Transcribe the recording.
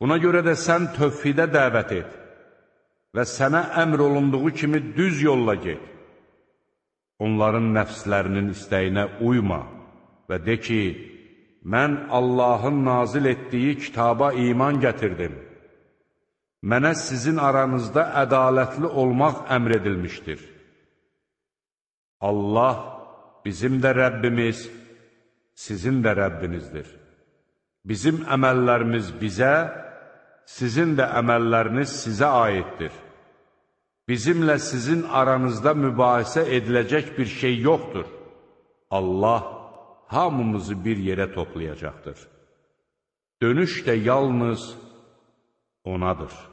Buna görə də sən tövhidə dəvət et və sənə əmr olunduğu kimi düz yolla get. Onların nəfslərinin istəyinə uyma və de ki, mən Allahın nazil etdiyi kitaba iman gətirdim. Mənə sizin aranızda ədalətli olmaq əmr edilmişdir. Allah bizim də Rəbbimiz, sizin də Rəbbinizdir. Bizim əməllərimiz bizə, sizin də əməlləriniz sizə aiddir. Bizimlə sizin aranızda mübahisə ediləcək bir şey yoxdur. Allah hamımızı bir yerə toplayacaqdır. Dönüş də yalnız Onadır.